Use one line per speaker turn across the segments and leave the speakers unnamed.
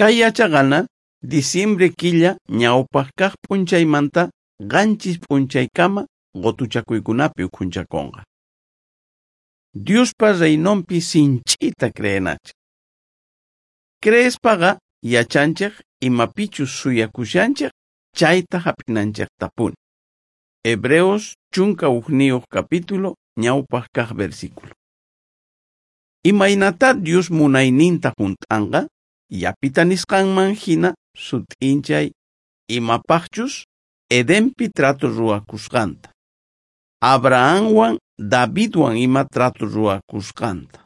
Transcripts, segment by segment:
Kay yachaqana diciembre killa ñawpaq kaq p'unchaymanta 7 p'unchaykama qotuchakuykunapi ukhunchakonqa. Diospa reinonpi sinch'ita creenachik. Creespaqa yachanchik imapichus suyakushanchik chayta hap'inanchiktapuni. Hebreos 11 capítulo ñawpaq kaq versículo. Imaynata Dios munayninta junt'anqa yapita nisqanman hina sut'inchay imapaqchus Edenpi trato ruwakusqanta, Abrahamwan Davidwan ima trato ruwakusqanta,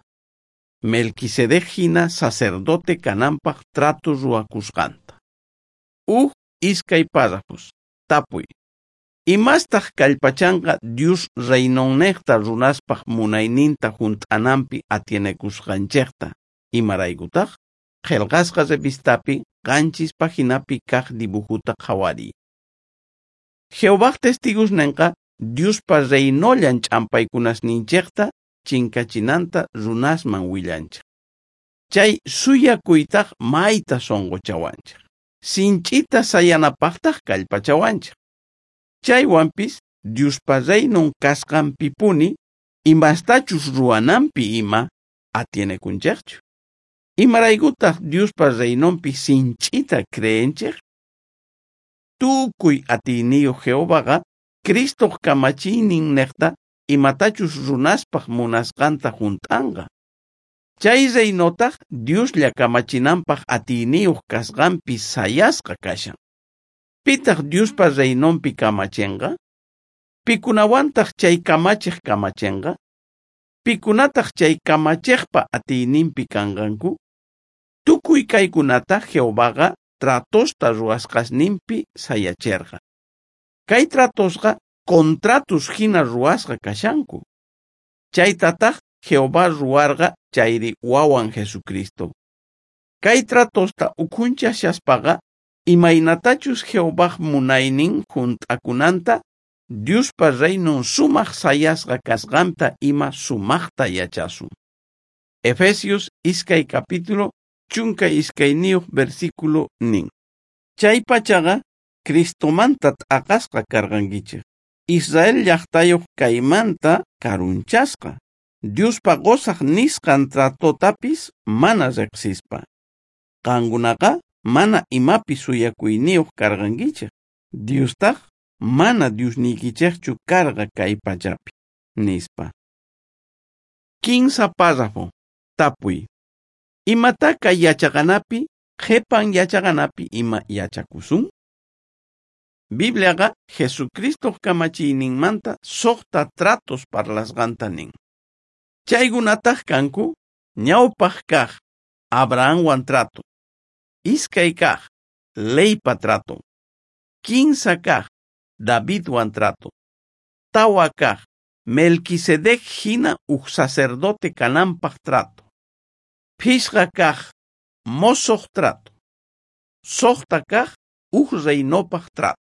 Melquisedec hina sacerdote kananpaq trato ruwakusqanta. 1 2 párrafos. Tapuy. Imastaq kallpachanqa Dios reinonneqta runaspaq munayninta junt'ananpi atienekusqanchikta? Imaraykutaq? Qillqasqa revistapi 7 paginapi kaq dibujuta qhawariy. Jehovaj testigosnenqa Diospa reinollan ch'ampaykunasninchikta chinkachinanta runasman willanchik. Chay suyakuytaq mayta sunquchawanchik. Sinch'ita sayanapaqtaq kallpachawanchik. Chaywanpis Diospa reinon kasqanpipuni imastachus ruwananpi ima atienekunchikchu. Imaraykutaq Diospa reinonpi sinch'ita creenchik? Tukuy atiyniyuq Jehovaqa Cristoq kamachiynin neqta imatachus runaspaq munasqanta junt'anqa. Chay reinotaq Dioslla kamachinanpaq atiyniyuq kasqanpi sayasqa kashan. Pitaq Diospa reinonpi kamachinqa? Pikunawantaq chay kamachiq kamachinqa? Pikunataq chay kamachiqpa atiyninpi kanqanku? Tukuy kaykunata Jehovaqa tratosta ruwasqasninpi sayacherqa. Kay tratosqa contratos hina ruwasqa kashanku. Chaytataq Jehová ruwarqa chayri wawan Jesucristo. Kay tratosta ukhunchashaspaqa imaynatachus Jehovaj munaynin junt'akunanta Diospa reinon sumaq sayasqa kasqanta ima sumaqta yachasun. Efesios 2 capítulo 12 versículo nin. Chay pachaqa Cristomanta t'aqasqa karqankichik. Israel llaqtayuq kaymanta karunchasqa. Diospa qosaq nisqan tratotapis mana riqsispa. Qankunaqa mana imapi suyakuyniyuq karqankichik. Diostaq mana Diosniykichikchu karqa kay pachapi, nispa. 15 párrafo. Tapuy. Imata kay yachaqanapi, qhipan yachaqanapi ima yachakusun? Bibliaqa Jesucristoq kamachiyninmanta 6 tratos parlasqanta nin. Chaykunataq kanku ñawpaq kaq Abrahamwan trato, 2 kaq leypa trato, 3 kaq Davidwan trato, 4 kaq Melquisedec hina uj sacerdote kananpaq trato, 5 kaq mosoq trato, 6 kaq uj reinopaq trato.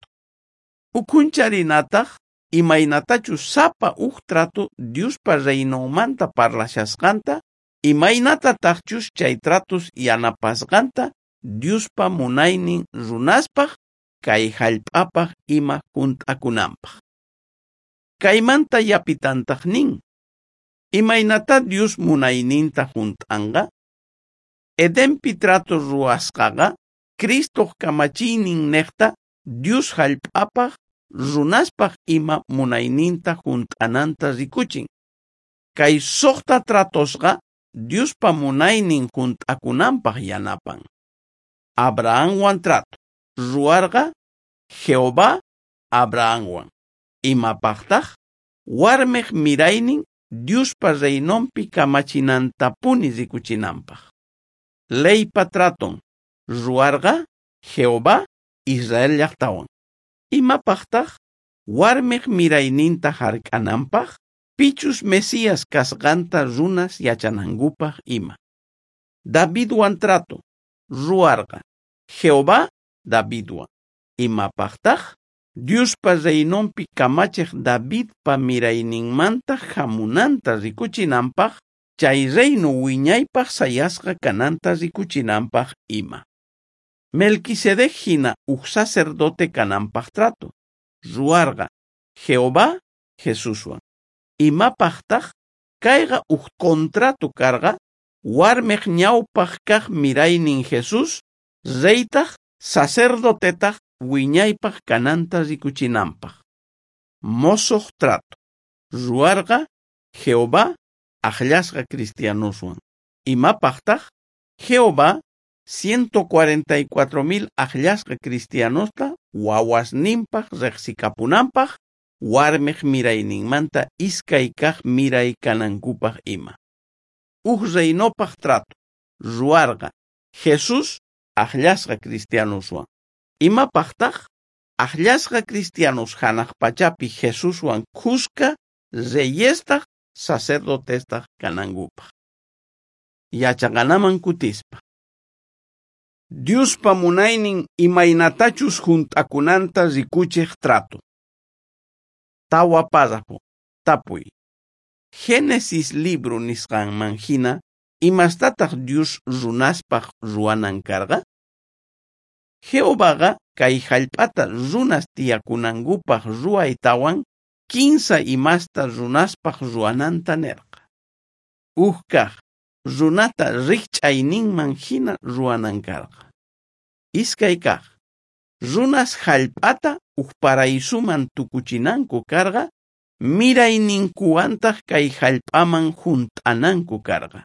Ukhuncharinataq imaynatachus sapa uj trato Diospa reinonmanta parlashasqanta, imaynatataqchus chay tratos yanapasqanta Diospa munaynin runaspaq kay hallp'apaq ima junt'akunanpaq. Kaymanta yapitantaq nin, imaynata Dios munayninta junt'anqa? Edenpi trato ruwasqaqa Cristoq kamachiynin neqta Dios hallp'apaq runaspaq ima munayninta junt'ananta rikuchin. Kay 6 tratosqa Diospa munaynin junt'akunanpaq yanapan. Abrahamwan trato ruwarqa Jehová Abrahamwan. Imapaqtaq? Warmiq miraynin Diospa reinonpi kamachinantapuni rikuchinanpaq. Leypa traton ruwarqa Jehová Israel llaqtawan. Imapaqtaq? Warmiq mirayninta hark'ananpaq, pichus Mesías kasqanta runas yachanankupaq ima. Davidwan trato ruwarqa Jehová Davidwan. Imapaqtaq? Diospa reinonpi kamachiq Davidpa mirayninmanta hamunanta rikuchinanpaq, chay reino wiñaypaq sayasqa kananta rikuchinanpaq ima. Melquisedec jina uj sacerdote kananpaj trato. Ruwarqa Jehová Jesuswan. Imapajtaj kayqa uj contrato karqa warmej ñawpaj kaj miraynin Jesús, reytaj sacerdotetaj wiñaypaj kananta rikuchinanpaj. Mosoj trato. Ruwarqa Jehová ajllasqa cristianoswan. Imapajtaj Jehová 144.000 ajllasqa cristianosta wawasninpaj rejsikapunanpaj warmej mirayninmanta iskay kaj miray kanankupaj ima. Uj reinopaj trato. Ruwarqa Jesús ajllasqa cristianoswan. Imapajtaj ajllasqa cristianos janaj pachapi Jesuswan khuska reyestaj sacerdotestaj kanankupaj. Yachaqanaman kutispa. Diospa munaynin imaynatachus junt'akunanta rikuchej trato. Tawa párrafo. Tapuy. Génesis libro nisqanman jina, imastataq Dios runaspaj ruwanan karqa? Jehovaqa kay jallp'ata runas tiyakunankupaj ruwaytawan kinsa imasta runaspaj ruwananta nerqa. Uj kaj, runata rijch'ayninman jina ruwanan karqa. Iskay kaj, runas jallp'ata uj paraisuman tukuchinanku karqa, mirayninkuwantaj kay jallp'aman junt'ananku karqa.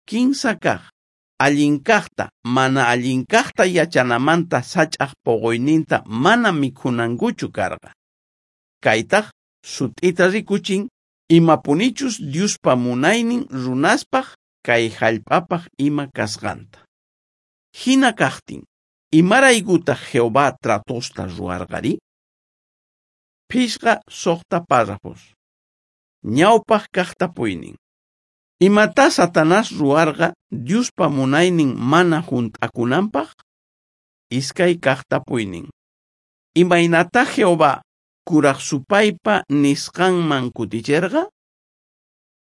Kinsa kaj, allin kajta mana allin kajta yachanamanta sach'aj poqoyninta mana mikhunankuchu karqa. Kaytaj sut'ita rikuchin imapunichus Diospa munaynin runaspaj kay jallp'apaj ima kasqanta. Jina kajtin, imaraykutaj Jehová tratosta ruwarqari? 5 6 párrafos. Ñawpaj kaj tapuynin. Imatá Satanás ruwarqa Diospa munaynin mana junt'akunanpaj? Iskay kaj tapuynin. Imaynatá Jehová kuraj supaypa nisqanman kuticherqa?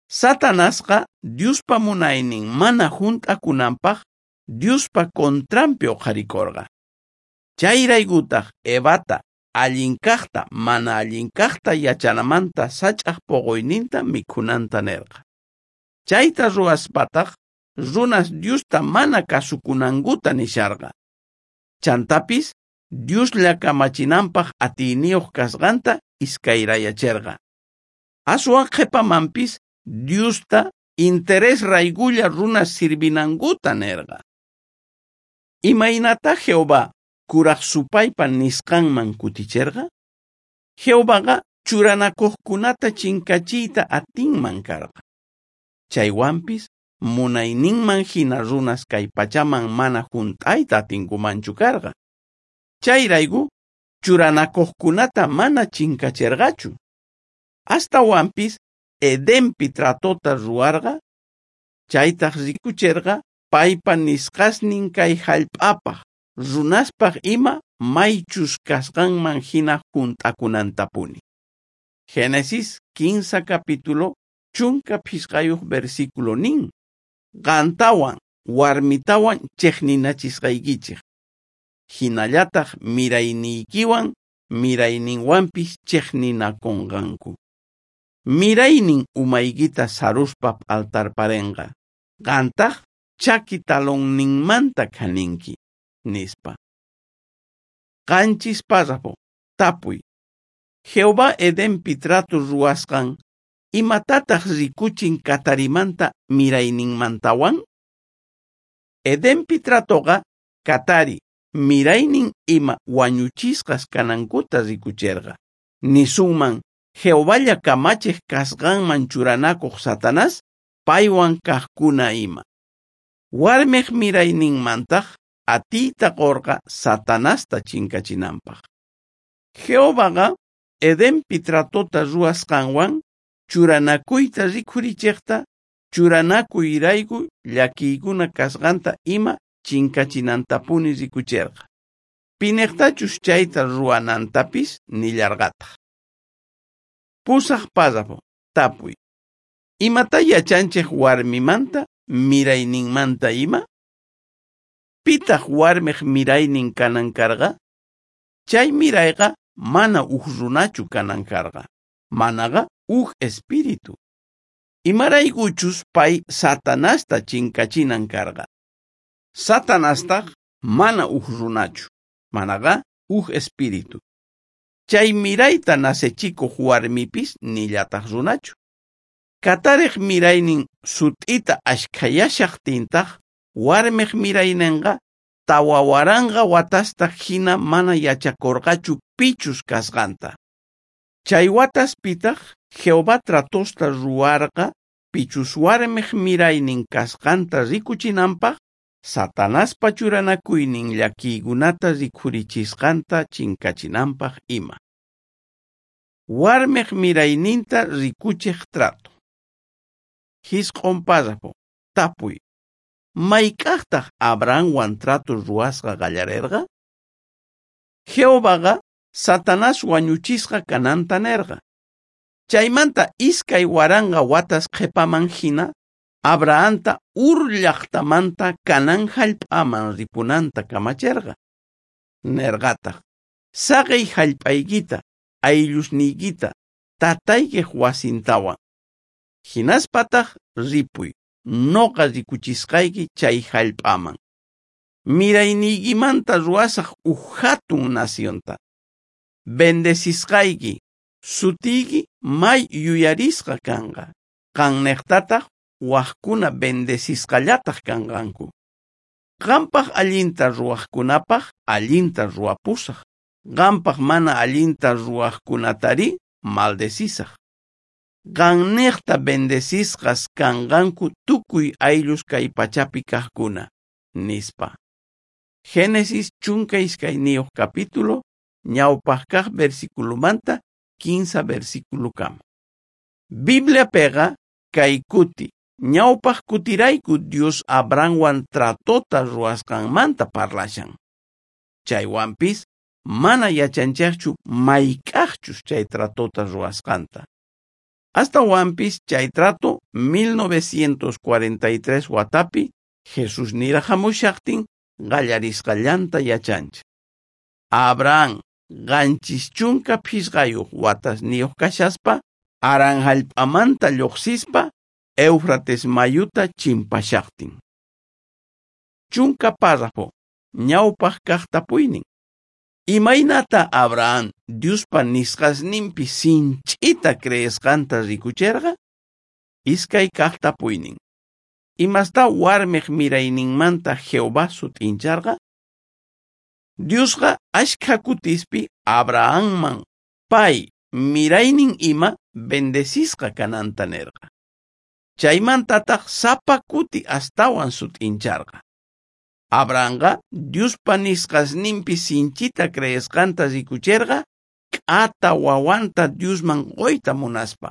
Satanasqa Diospa munaynin mana junt'akunanpaj Diospa contranpi uqharikorqa. Chayraykutaj Evata allin kajta mana allin kajta yachanamanta sach'aj poqoyninta mikhunanta nerqa. Chayta ruwaspataj runas Diosta mana kasukunankuta nisharqa. Chantapis Dioslla kamachinanpaj atiyniyuq kasqanta iskayrayacherqa. Aswan qhepamanpis Diosta interes raykulla runas sirvinankuta nerqa. Imaynatá Jehová kuraj supaypa nisqanman kuticherqa? Jehovaqa churanakuqkunata chinkachiyta atinman karqa. Chaywanpis munayninman jina runas kay pachaman mana junt'ayta atinkumanchu karqa. Chayrayku churanakuqkunata mana chinkacherqachu. Astawanpis Edenpi tratota ruwarqa, chaytaj rikucherqa paypa nisqasnin kay jallp'apaj runaspaj ima maychus kasqanman jina junt'akunantapuni. Génesis 15 capítulo 15 versículo nin: Qantawan warmitawan chejninachisqaykichej, jinallataj mirayniykiwan mirayninwanpis chejninakonqanku. Miraynin umaykita saruspa p'altarparenqa, qantaj chaki talonninmanta khaninki, nispa. 7 párrafo. Tapuy. Jehová Edenpi trato ruwasqan, imatataj rikuchin katarimanta mirayninmantawan? Edenpi tratoqa katari miraynin ima wañuchisqas kanankuta rikucherqa. Nisunman Jehovalla kamachej kasqanman churanakuq Satanás paywan kajkuna ima. Warmej mirayninmantaj atiyta qorqa Satanasta chinkachinanpaj. Jehovaqa Edenpi tratota ruwasqanwan churanakuyta rikhurichejta, churanakuyrayku llakiykuna kasqanta ima chinkachinantapuni rikucherqa. Pinejtachus chayta ruwanantapis nillarqataj. 8 párrafo. Tapuy. Imatá yachanchej warmimanta mirayninmanta ima? Pitaj Pitaj warmej miraynin kanan karqa? Chay mirayqa mana uj runachu kanan karqa, manaqa uj espíritu. Imaraykuchus pay Satanasta chinkachinan karqa. Satanastaj mana uj runachu, manaqa uj espíritu. Chay mirayta nacechikoj warmipis nillataj runachu. Katarej miraynin sut'ita ashkhayashajtintaj, warmej miraynenqa 4000 watasta hina mana yachakorqachu pichus kasqanta. Chay wataspitaj Jehová tratosta ruwarqa pichus warmej miraynin kasqanta rikuchinanpaj, Satanaspa churanakuynin llakiykunata rikhurichisqanta chinkachinanpaj ima. Warmej mirayninta rikuchej trato. 9 párrafo. Tapuy. Mayk'ajtaj Abrahamwan trato ruwasqa qallarerqa? Jehovaqa Satanás wañuchisqa kananta nerqa. Chaymanta 2000 watas qhepaman hina Abrahamta Ur llaqtamanta Canaán jallp'aman ripunanta kamacherqa. Nerqataj: Saqey jallp'aykita, ayllusniykita, tataykej wasintawan. Hinaspataj ripuy, noqa rikuchisqayki chay jallp'aman. Mirayniykimanta ruwasaj uj jatun nacionta. Bendecisqayki, sutiyki may yuyarisqa kanqa. Qannejtataj wajkuna bendecisqallataj kanqanku. Qanpaj allinta ruwajkunapaj allinta ruwapusaj. Qanpaj mana allinta ruwajkunatari maldecisaj. Qannejta bendecisqas kanqanku tukuy ayllus kay pachapi kajkuna, nispa. Génesis 12 capítulo, ñawpaj kaj versículomanta 15 versículokama. Bibliapeqa kay kuti, ñawpaj kutirayku Dios Abrahamwan tratota ruwasqanmanta parlashan. Chaywanpis mana yachanchejchu mayk'ajchus chay tratota ruwasqanta. Astawanpis chay trato 1943 watapi Jesús niraj jamushajtin qallarisqallanta yachanchej. Abraham 75 watasniyoj kashaspa Harán jallp'amanta lluqsispa Éufrates mayuta chimpashajtin. 10 párrafo. Ñawpaj kaj tapuynin. Imaynata Abraham Diospa nisqasninpi sinch'ita creesqanta rikucherqa? 2 kaj tapuynin. Imasta warmej mirayninmanta Jehová sut'incharqa? Diosqa ashkha kutispi Abrahamman pay miraynin ima bendecisqa kananta nerqa. Chaymantataj sapa kuti astawan sut'incharqa. Abrahamqa Diospa nisqasninpi sinchita creesqanta rikucherqa k'ata wawanta Diosman qoyta munaspa.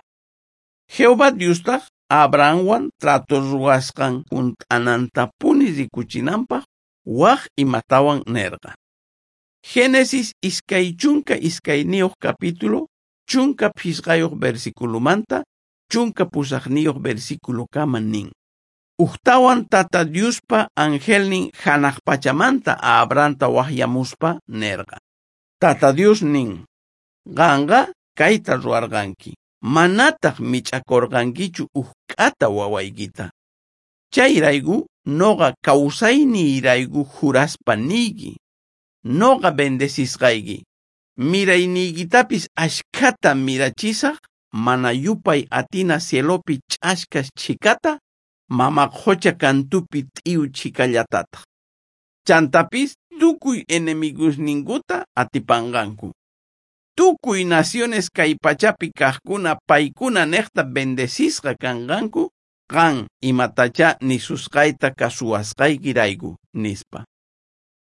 Jehová Diostaj Abrahamwan trato ruwasqan junt'anantapuni rikuchinanpaj waj imatawan nerqa. Génesis 22 capítulo, 15 versículomanta 18 versículokama nin. Ujtawan tata Diospa angelnin janaj pachamanta Abrahamta wajyamuspa nerqa. Tata Dios nin, qanqa kayta ruwarqanki, manataj mich'akorqankichu uj k'ata wawaykita. Chayrayku noqa kawsayniyrayku juraspa niyki, noqa bendecisqayki, mirayniykitapis ashkhata mirachisaj, mana yupay atina cielopi ch'askas chhikata, mama qocha kantupi t'iyu chhikallatataj. Chantapis tukuy enemigosninkuta atipanqanku. Tukuy naciones kay pachapi kajkuna paykuna nejta bendecisqa kanqanku, qan imatachá nisusqayta kasuwasqaykirayku, nispa.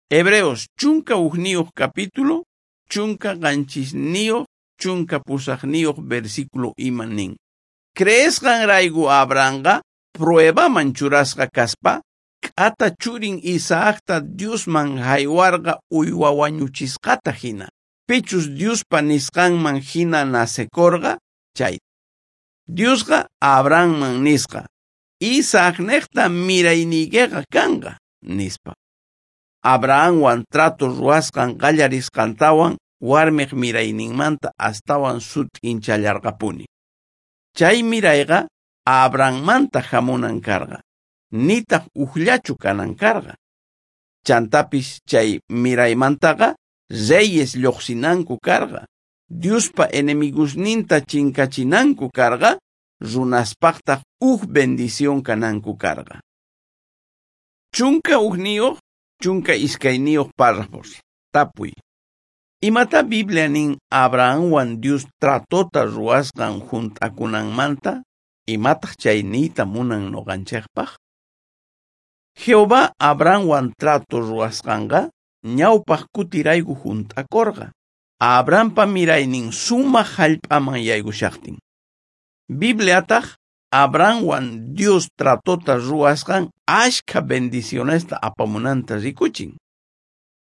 Hebreos 11 capítulo, 17 18 versículo ima nin. Creesqanrayku Abrahamqa pruebaman churasqa kaspa, k'ata churin Isaacta Diosman jaywarqa uywa wañuchisqata hina. Pichus Diospa nisqanman hina nacekorqa chay. Diosqa Abrahamman nisqa, Isaacnejta mirayniykeqa kanqa, nispa. Abrahamwan trato ruwasqan qallarisqantawan warmiq mirayninmanta astawan sut'inchallarqapuni. Chay mirayqa Abrahammanta hamunan karqa, nitaq ujllachu kanan karqa. Chantapis chay miraymantaqa reyes lluqsinanku karqa, Diospa enemigusninta chinkachinanku karqa, runaspaqtaq uj bendición kananku karqa. 11, 12 párrafos. Tapuy. Imata Biblia nin Abrahamwan Dios tratota ruwasqan junt'akunanmanta? Imataq chay niyta munan noqanchikpaq? Jehová Abrahamwan trato ruwasqanqa ñawpaq kutirayku junt'akorqa. Abrahampa miraynin sumaq hallp'aman yaykushaqtin. Bibliataq Abrahamwan Dios tratota ruwasqan ashkha bendicionesta apamunanta rikuchin.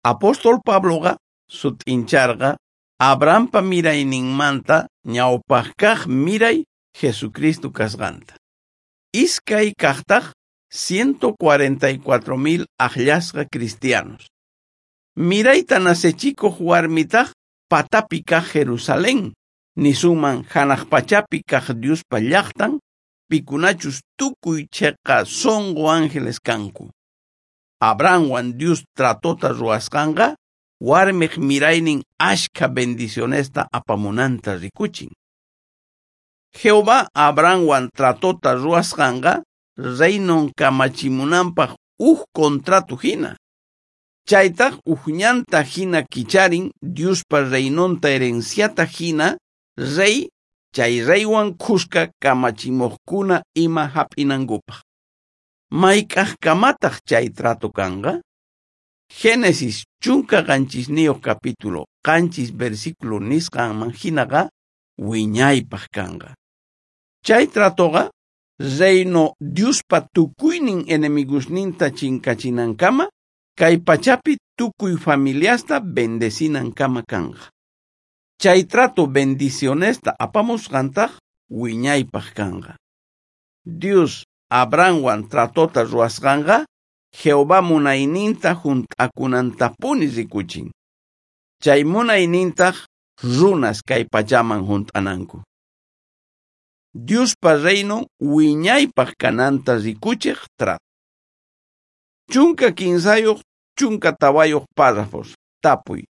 Apóstol Pabloqa sut'incharqa Abrahampa mirayninmanta ñawpaq kaq miray Jesucristo kasqanta. Iskay kaqtaq 144,000 aqllasqa cristianos. Mirayta nasechikuq warmitaq patapi kaq Jerusalén, nisunman hanaq pachapi kaq Diospa llaqtan, pikunachus tukuy cheqa sonqo ángeles kanku. Abrahamwan Dios tratota ruwasqanqa warmiq miraynin ashkha bendicionesta apamunanta rikuchin. Jehová Abrahamwan tratota ruwasqanqa reinon kamachimunanpaq uj contrato hina. Chaytaq uj ñanta hina kicharin Diospa reinonta herenciata hina rey chay reywan khuska kamachimuqkuna ima hap'inankupaq. Mayk'aqkamataq chay trato kanqa? Génesis 17 capítulo 7 versículo nisqanman hinaqa wiñaypaq kanqa. Chay tratoqa reino Diospa tukuynin enemigusninta chinkachinankama kay pachapi tukuy familiasta bendecinankama kanqa. Chay trato bendicionesta apamusqantaq wiñaypaq kanqa. Dios Abrahamwan tratota ruwasqanqa Jehová munayninta junt'akunantapuni rikuchin. Chay munaynintaq runas kay pachaman junt'ananku. Diospa reinon wiñaypaq kananta rikuchiq trato. 13, 14 párrafos. Tapuy.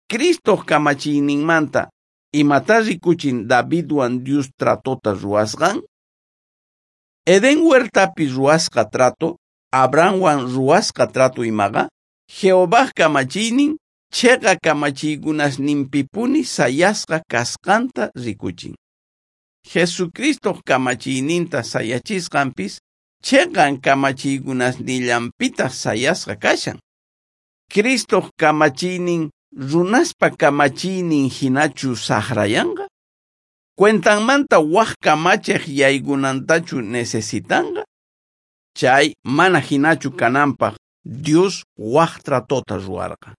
Cristoq kamachiyninmanta imata rikuchin Davidwan Dios tratota ruwasqan? Edén huertapi ruwasqa trato, Abrahamwan ruwasqa trato imaqa, Jehovaj kamachiynin cheqa kamachiykunasninpipuni sayasqa kasqanta rikuchin. Jesucristoq kamachiyninta sayachisqanpis cheqan kamachiykunasnillanpitaq sayasqa kashan. Cristoq kamachiynin runaspa kamachiynin hinachu saqrayanqa? Cuentanmanta waj kamachiq yaykunantachu necesitanqa? Chay mana hinachu kananpaq Dios waj tratota ruwarqa.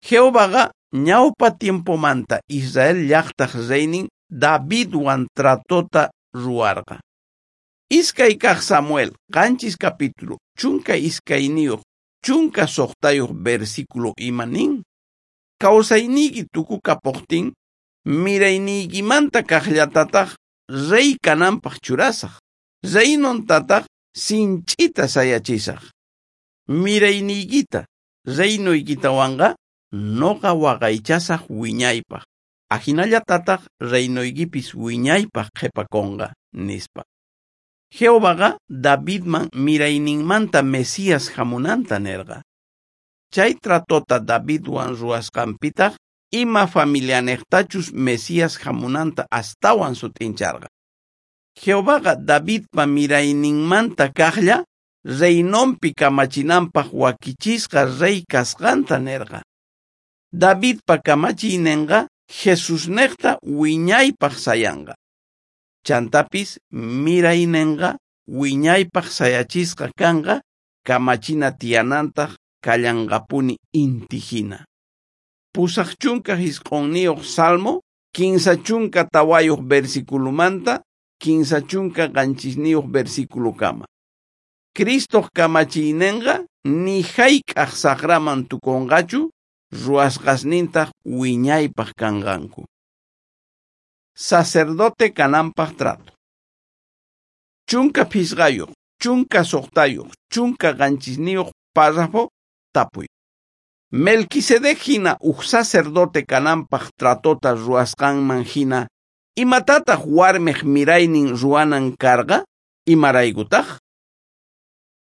Jehovaqa ñawpa tiempomanta Israel llaqtaq reynin Davidwan tratota ruwarqa. 2 kaq Samuel 7 capítulo 12 16 versículo ima nin. Kawsayniyki tukukapuqtin mirayniykimanta kaqllatataq rey kananpaq churasaq. Reinontataq sinch'ita sayachisaq. Mirayniykita reinoykitawanqa noqa waqaychasaq wiñaypaq. Ajinallatataq reinoykipis wiñaypaq qhipakunqa, nispa. Jehovaqa Davidman mirayninmanta Mesías hamunanta nerqa. Chay tratota Davidwan ruwasqanpitaq ima familianeqtachus Mesías hamunanta astawan sut'incharqa. Jehovaqa Davidpa mirayninmanta kaqlla reinonpi kamachinanpaq wakichisqa rey kasqanta nerqa. Davidpa kamachiyninqa Jesusneqta wiñaypaq sayanqa. Chantapis miraynenqa wiñaypaq sayachisqa kanqa kamachina tiyanantaq kallanqapuni inti hina. 89 Salmo 34 versiculomanta 37 versiculokama. Cristoq kamachiynenqa ni jayk'aj sajraman tukonqachu, ruwasqasnintaj wiñaypaj kanqanku. Sacerdote kananpaj trato. 15, 16, 17 párrafo tapuy. Melquisedec hina uj sacerdote kananpaj tratota ruwasqanman hina, imatataj warmej miraynin ruwanan karqa, imaraykutaj?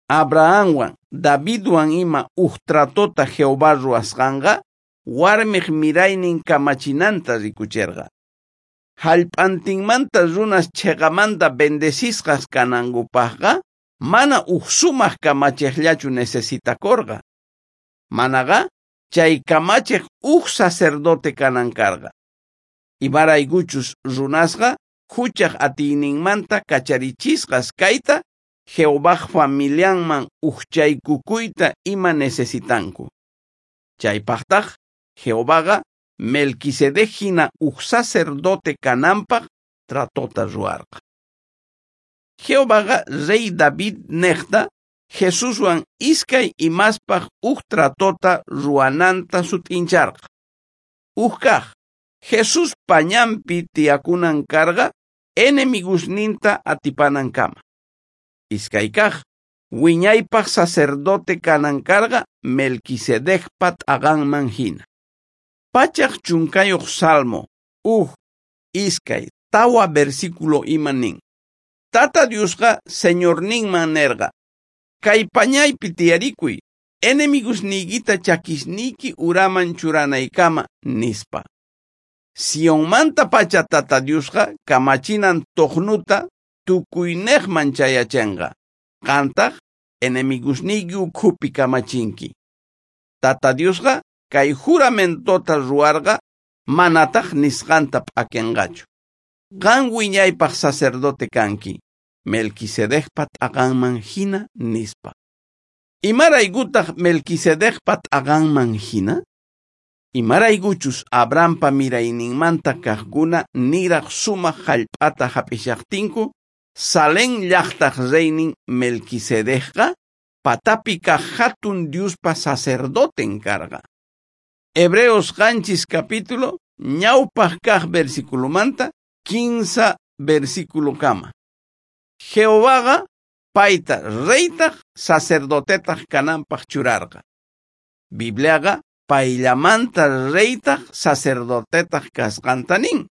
Abrahamwan, Davidwan ima uj tratota Jehová ruwasqanqa, warmej miraynin kamachinanta rikucherqa. Jallp'antinmanta runas cheqamanta bendecisqas kanankupajqa, mana uj sumaj kamachejllachu necesitakorqa. Manaqa chay kamachej uj sacerdote kanan karqa. Imaraykuchus runasqa juchaj atiyninmanta kacharichisqas kayta, Jehovaj familianman ujchaykukuyta ima necesitanku. Chaypajtaj Jehovaqa Melquisedec hina uj sacerdote kananpaj tratota ruwarqa. Jehovaqa rey David nejta Jesuswan iskay imaspaj uj tratota ruwananta sut'incharqa. Uj kaj, Jesús pañanpi tiyakunan karqa enemigusninta atipanankama. Iskay kaj, wiñaypaj sacerdote kanan karqa Melquisedecpa t'aqanman hina. 110 Salmo, 1, 2, 4 versículo ima nin. Tata Diosqa Señorninman nerqa, kay pañaypi tiyarikuy, enemigusniykita chakisniyki uraman churanaykama, nispa. Sionmantapacha Tata Diosqa kamachinan tojnuta tukuynejman chayachenqa, qantaj enemigusniyki ukhupi kamachinki. Tata Diosqa kay juramentota ruwarqa, manataj nisqanta p'akenqachu. Qan wiñaypaj sacerdote kanki, Melquisedecpa t'aqanman hina, nispa. Imaraykutaj Melquisedecpa t'aqanman hina? Imaraykuchus Abrahampa mirayninmanta kajkuna niraj sumaj jallp'ata jap'ishajtinku, Salem llajtaj reynin Melquisedecqa patapi kaj jatun Diospa sacerdoten karqa. Hebreos 7 capítulo, ñawpaj kaj versiculomanta, 15 versículo kama. Jehovaqa payta reytaj sacerdotetaj kananpaj churarqa. Bibliaqa payllamanta reytaj sacerdotetaj kasqanta nin.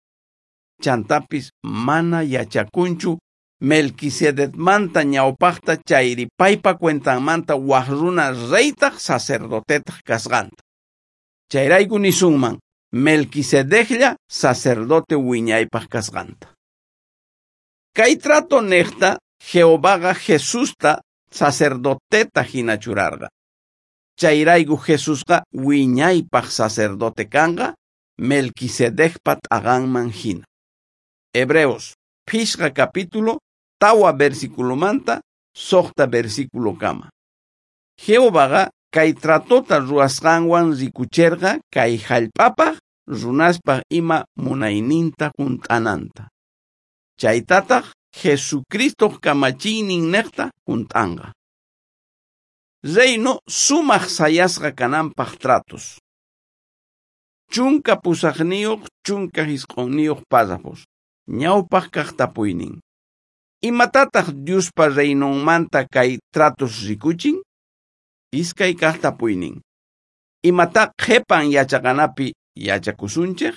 Chantapis mana yachakunchu Melquisedecmanta ñawpajta chayri paypa cuentanmanta waj runa reytaj sacerdotetaj kasqanta. Chayrayku nisunman Melquisedeclla sacerdote wiñaypaj kasqanta. Kay trato nejta Jehovaqa Jesusta sacerdoteta hina churarqa. Chayrayku Jesusqa wiñaypaj sacerdote kanqa Melquisedecpa t'aqanman hina. Hebreos 5 capítulo 4 versículomanta 6 versículo kama. Jehovaqa kay tratota ruwasqanwan rikucherqa kay jallp'apaj runaspaj ima munayninta junt'ananta. Chaytataj Jesucristoj kamachiynin nejta junt'anqa. Reino sumaj sayasqa kananpaj tratos. 18, 19 párrafos. Ñawpaj kaj tapuynin. Imatataj Diospa reinonmanta kay tratos rikuchin? Iskay kaj tapuynin. Imata qhepan yachaqanapi yachakusunchej?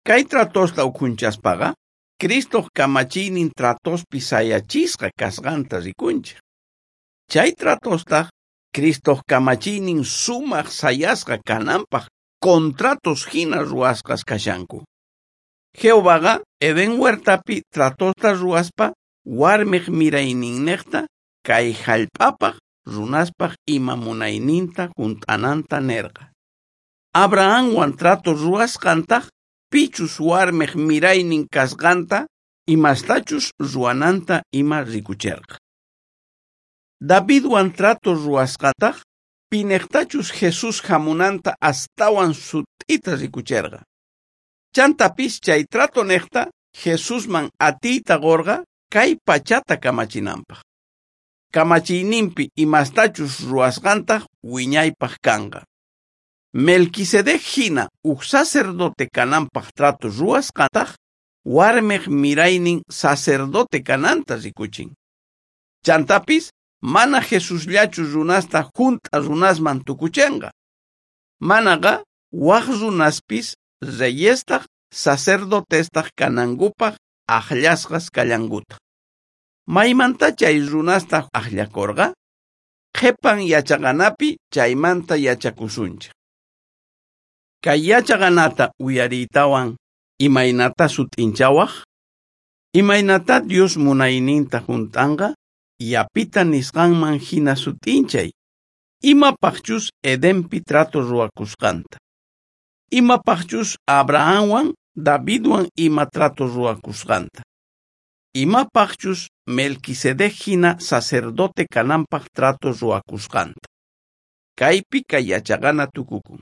Kay tratosta ukhunchaspaqa, Cristoj kamachiynin tratospi sayachisqa kasqanta rikunchej. Chay tratostaj Cristoj kamachiynin sumaj sayasqa kananpaj contratos hina ruwasqas kashanku. Jehovaqa Edén huertapi tratosta ruwaspa warmej mirayninnejta kay jallp'apaj runaspaj ima munayninta junt'ananta nerqa. Abrahamwan trato ruwasqantaj pichus warmej miraynin kasqanta imastachus ruwananta ima rikucherqa. Davidwan trato ruwasqantaj pinejtachus Jesús jamunanta astawan sut'ita rikucherqa. Chantapis chay trato nejta Jesusman atiyta qorqa kay pachata kamachinanpaj. Kamachiyninpi imastachus ruwasqantaj wiñaypaj kanqa. Melquisedec jina uj sacerdote kananpaj trato ruwasqantaj warmej miraynin sacerdote kananta rikuchin. Chantapis mana Jesusllachu runasta junt'a runasman tukuchenqa. Manaqa waj runaspis reyestaj sacerdotestaj kanankupaj ajllasqas kallankutaj. Maymanta chay runasta ajllakorqa? Qhepan yachaqanapi chaymanta yachakusunchej. Kay yachaqanata uyariytawan imaynata sut'inchawaj? Imaynata Dios munayninta junt'anqa? Yapita nisqanman hina sut'inchay. Imapajchus Edenpi trato ruwakusqanta. Imapajchus Abrahamwan Davidwan ima trato ruwakusqanta. Imapajchus Melquisedec hina sacerdote kananpaj trato ruwakusqanta. Kaypi kay yachaqana tukukun.